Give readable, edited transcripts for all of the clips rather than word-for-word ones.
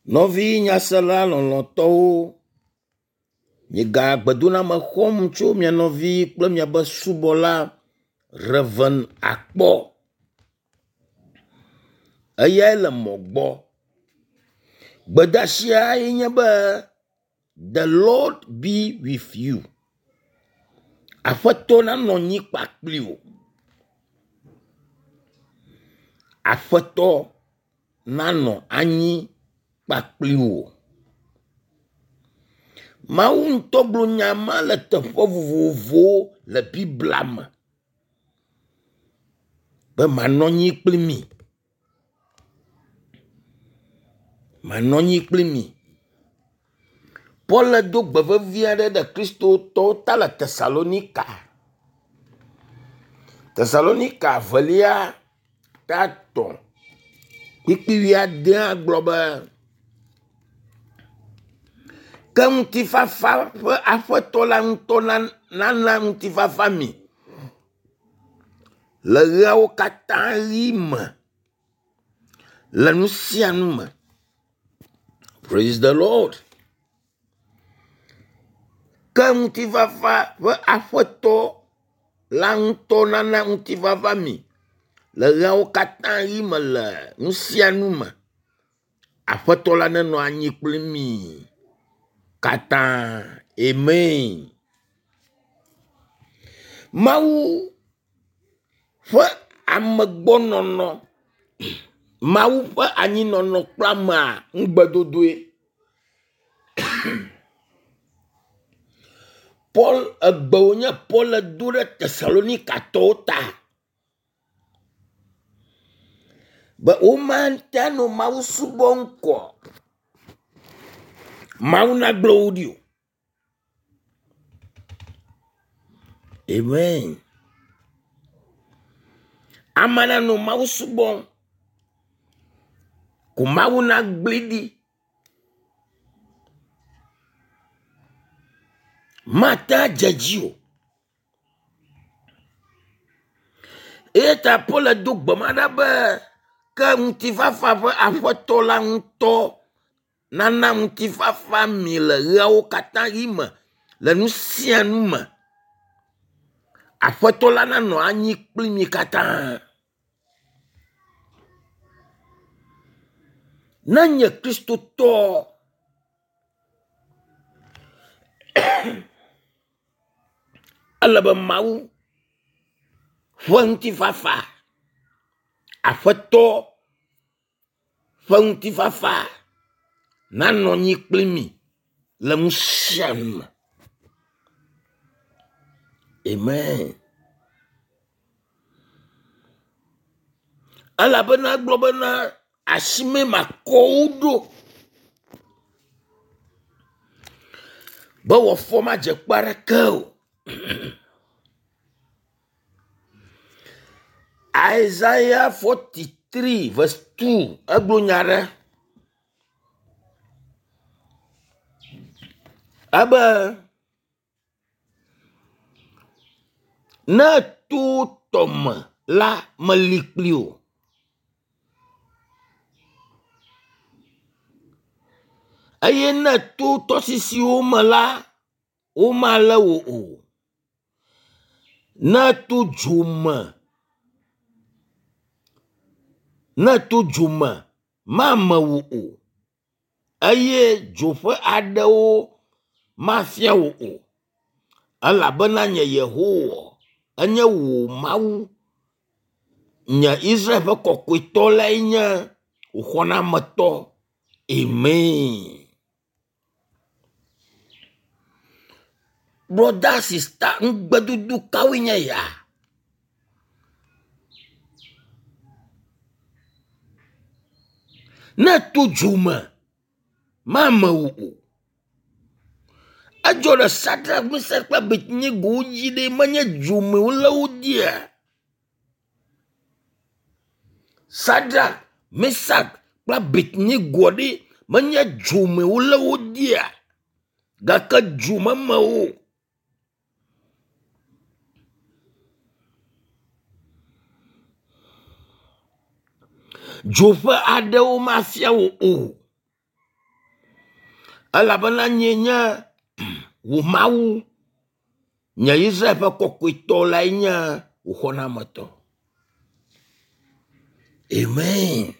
Nɔvi nyasela lɔlɔ̃tɔwo, miega gbedoname xɔm tso mia nɔvi kple miaƒe subɔla Rev. Akpɔ. Eyae le mɔ gbɔ. Gbedeasia ye nye be the Lord be with you. Aƒetɔ nanɔ anyi kpakpli wò. Aƒetɔ nanɔ anyi kpakpli wò. Mawu ŋutɔ gblɔ nya ma le teƒe vovovowo le Biblia me be manɔ anyi kpli mi. Manɔ anyi kpli mi. Paul do gbe vevi aɖe ɖe kristotɔwo ta le Tesalonika. Tesalonika velia ta 3 kpukpui wuiadea gblɔ be ke ŋutifafa ƒe aƒetɔ la ŋutɔ nana ŋutifafa mi le ɣeawo katã ɣi me le nu sia nu me. Praise the Lord. Ke ŋutifafa ƒe aƒetɔ la ŋutɔ nana ŋutifafa mi le ɣeawo katã ɣi me le nu sia nu me. Aƒetɔ la nenɔ anyi kpli mi katã. Amen. Mawu ƒe amegbɔnɔnɔ, Mawu ƒe anyinɔnɔ kple amea ŋugbedodoe. Paul egbe wònye Paul do ɖe Tesalonikatɔwo ta be womate anɔ Mawu subɔm kɔ Mawu nagblẽ wo ɖi o. Amen. Ame nanɔ Mawu subɔm ko Mawu nagblẽ ɖi. Mate adze dzi o. Eya ta Paul do gbe ma ɖa be ke ŋutifafa ƒe aƒetɔ la ŋutɔ nana ŋutifafa mi le ɣeawo katã ɣi me le nu sia nu me. Aƒetɔ la nanɔ anyi kpli mi katã. Ne nye Kristotɔ ele be Mawu ƒe ŋutifafa, Aƒetɔ ƒe ŋutifafa nanɔ anyi kpli mi le nu sia nu me. Amen. Elabena egblɔ bena asime makɔ wo ɖo be wòafɔ madze kpe aɖeke o. Isaiah 43 verse 2 egblɔ nya ɖe ebe ne to tɔme la meli kpli o. Eye ne to tɔsisiwo me la, womalé wò o. Ne to dzo me, ne to dzo me, mame wò o eye dzo ƒe aɖewo mafia wò o. Elabena nye Yehowa enye wò Mawu, nye Israel ƒe kɔkɔetɔ lae nye wò xɔnametɔ. Amen. Brɔda sista ŋugbedodo kawoe nye ya? Ne to dzo me, mame wò o. Edzɔ ɖe Sadrak, Mesak kple Abednego dzi ɖe menye dzo me wolé wo dea? Sadrak, Mesak kple Abednego ɖe menye dzo me wolé wo dea? Gake dzo meme wo o. Dzo ƒe aɖewo mafia wò o. Elabena nyee nye wò Mawu, nye Israel ƒe kɔkɔetɔ lae nye wò xɔnametɔ. Amen.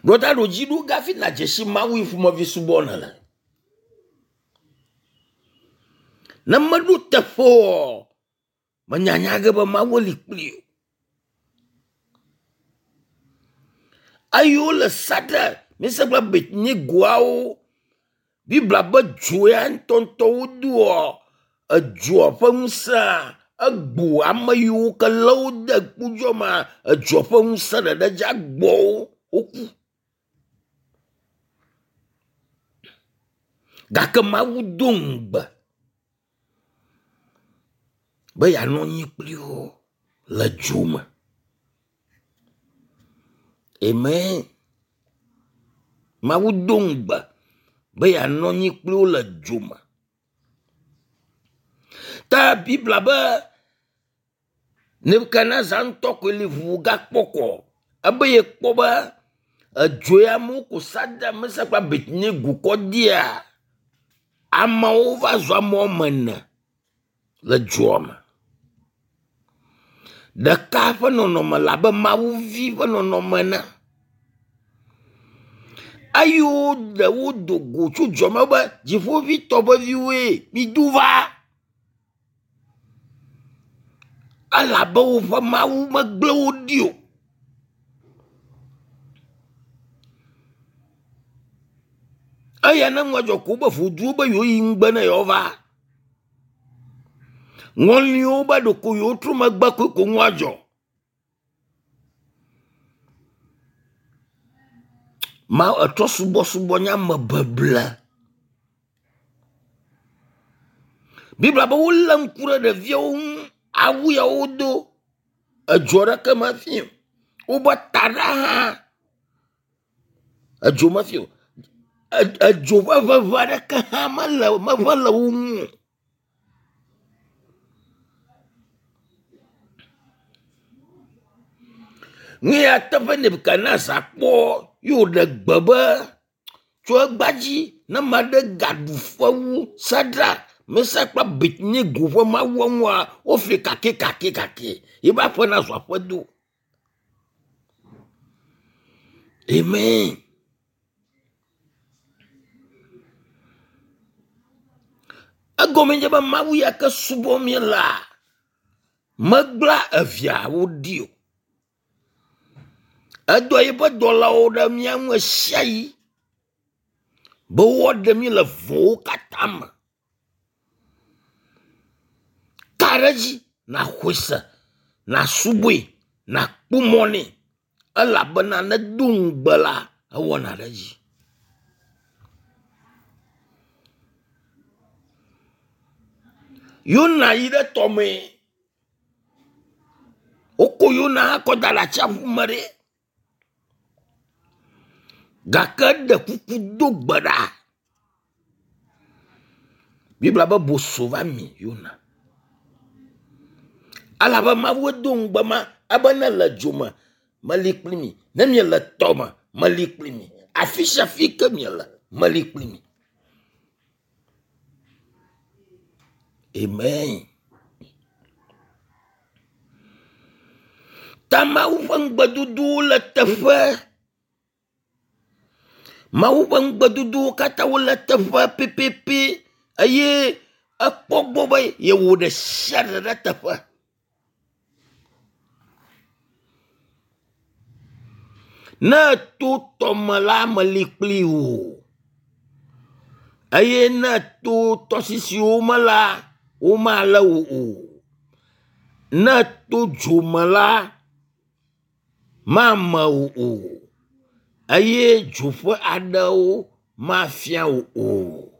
Brɔda ɖo dzi ɖo gafi nàdze si Mawu yi ƒomevi subɔ nèle. Ne meɖo teƒe oa, menyanya ge be Mawu li kpli o. Eye wole Sadrak, Mesak kple Abednegoawo Biblia be dzo ya ŋutɔŋutɔ wodoa edzoa ƒe ŋusẽa egbo ame yiwo ke lé wo de kpodzɔ ma edzoa ƒe ŋusẽ ɖeɖe dza gbɔ wo woku. Gake Mawu do ŋugbe be yeanɔ anyi kpli wo le dzo me. Amen. Mawu do ŋugbe be yeanɔ anyi kpli wo le dzo me. Ta Biblia be Nebukadnezar ŋutɔ koe li ʋu gakpɔ kɔ ebe yekpɔ be edzo ya me woko Sadrak, Mesak kple Abednego kɔ dea, amewo va zu ame woame ene le dzoa me. Ɖeka ƒe nɔnɔme le abe mawuvi ƒe nɔnɔme ene eye woɖe wo do go tso dua me be dziƒoʋitɔ ƒe viwoe mido va elabe woƒe Mawu megblẽ wo ɖi o. Eya ne nua dzɔ ko wobe voduwo be yewoyi ŋugbe ne yewoava. Ŋɔliwo be ɖeko yewotrɔ megbe koe ko nua dzɔ. Ma etrɔ subɔsubɔ nye ame beble. Biblia be wolé ŋku ɖe ɖeviawo ŋu, awu ya wodo edzo aɖeke mefi o. Wobe taɖa hã edzo mefi o. Edzo ƒe ŋeŋe aɖeke hã mele meʋe le wo ŋu o. Nu ya teƒe Nebukadnezar kpɔ ye wòɖe gbe be tso egbea dzi ne ame aɖe gaɖu fewu Sadrak, Mesak kple Abednego ƒe mawua ŋua, wofli kakɛkakɛkakɛ yiƒe aƒe nazu aƒedo. Amen. Egɔme nye be Mawu ya ke subɔm míelea, megblẽa eviawo ɖi o. Edɔ eƒe dɔlawo ɖe mía ŋu ɣesiaɣi be woaɖe mí le vɔ̃wo katã me. Ka ɖe edzi nàxɔe se, nàsubɔe, nàkpɔ mɔ nɛ elabena ne edo ŋugbe la, ewɔna ɖe edzi. Yona yi ɖe tɔme. Woko Yona hã kɔ da ɖe atsiaƒu me ɖe. Gake eɖe kuku do gbe ɖa. Biblia be boso va mi Yona. Elabe Mawu do ŋugbe ma ebe ne le dzo me meli kpli mi, ne miele tɔ me meli kpli mi, afi sia afi ke miele meli kpli mi. Amen. Ta Mawu ƒe ŋugbedodowo le teƒe. Mawu ƒe ŋugbedodowo katã wole teƒe pɛpɛpɛ eye ekpɔ gbɔ be yewɔ ɖe sia ɖe ɖe teƒe. Ne èto tɔme la, meli kpli wò eye ne èto tɔsisiwo me la, womalé wò o. Ne èto dzo me la, mame wò o eye dzo ƒe aɖewo mafia wò o.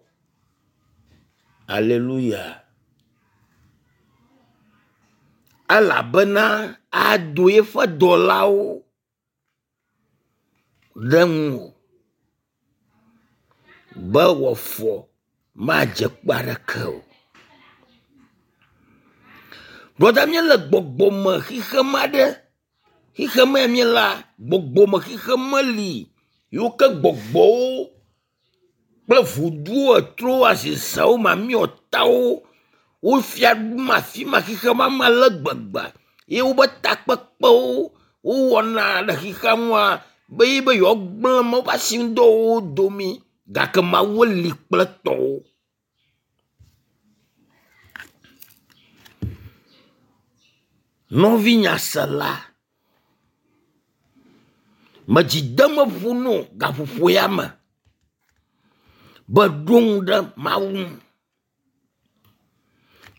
Aleluya. Elabena ado eƒe dɔlawo ɖe ŋuwò be wò afɔ madze kpe aɖeke o. Brɔda míele gbɔgbɔme xexeme aɖe. Xexeme ya míelea, gbɔgbɔme xexeme li yiwo ke gbɔgbɔwo. Kple voduwo, etrowo, azizewo, mamiɔtawo wo fia ɖum afi ma xixe ma me ale gbegbe ye wobe takpekpewo wowɔna le xixea nua be yi be yewoagblẽ Mawu ƒe asinudɔwɔwɔwo domi gake Mawu li kple tɔwo. Nɔvi nyasela, me dzi dem eƒo no gaƒoƒo ya me be ɖo ŋu ɖe Mawu ŋu.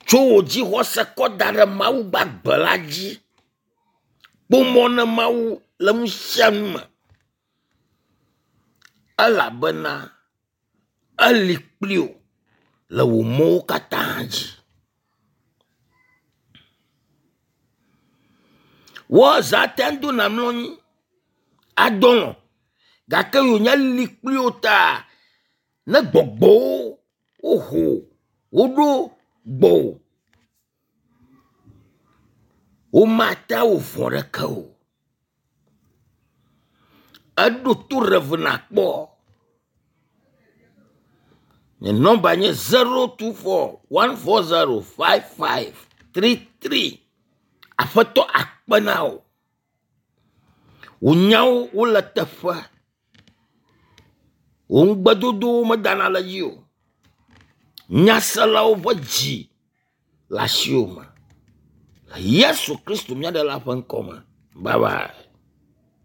Tso wò dzixɔse kɔ da ɖe Mawu gbagbe la dzi. Kpɔ mɔ ne Mawu le nu sia nu me elabena eli kpli wò le wò mɔwo katã dzi. Woazã ate ŋu do nàmlɔ anyi adɔ lɔ̃ gake wònye li kpli wò ta ne gbɔgbɔwo woho woɖo gbɔwò womate awɔ vɔ̃ ɖeke o. Eɖo to Rev. Nakpɔ. Nye nɔmba nye 024 140 5533. Aƒetɔ akpe na wò. Wò nyawo wole teƒe. Wò ŋugbedodowo medana le edzi o. Nyaselawo ƒe dzi le asiwò me. Le Yesu Kristo mía Ɖela ƒe ŋkɔ me. Bye bye.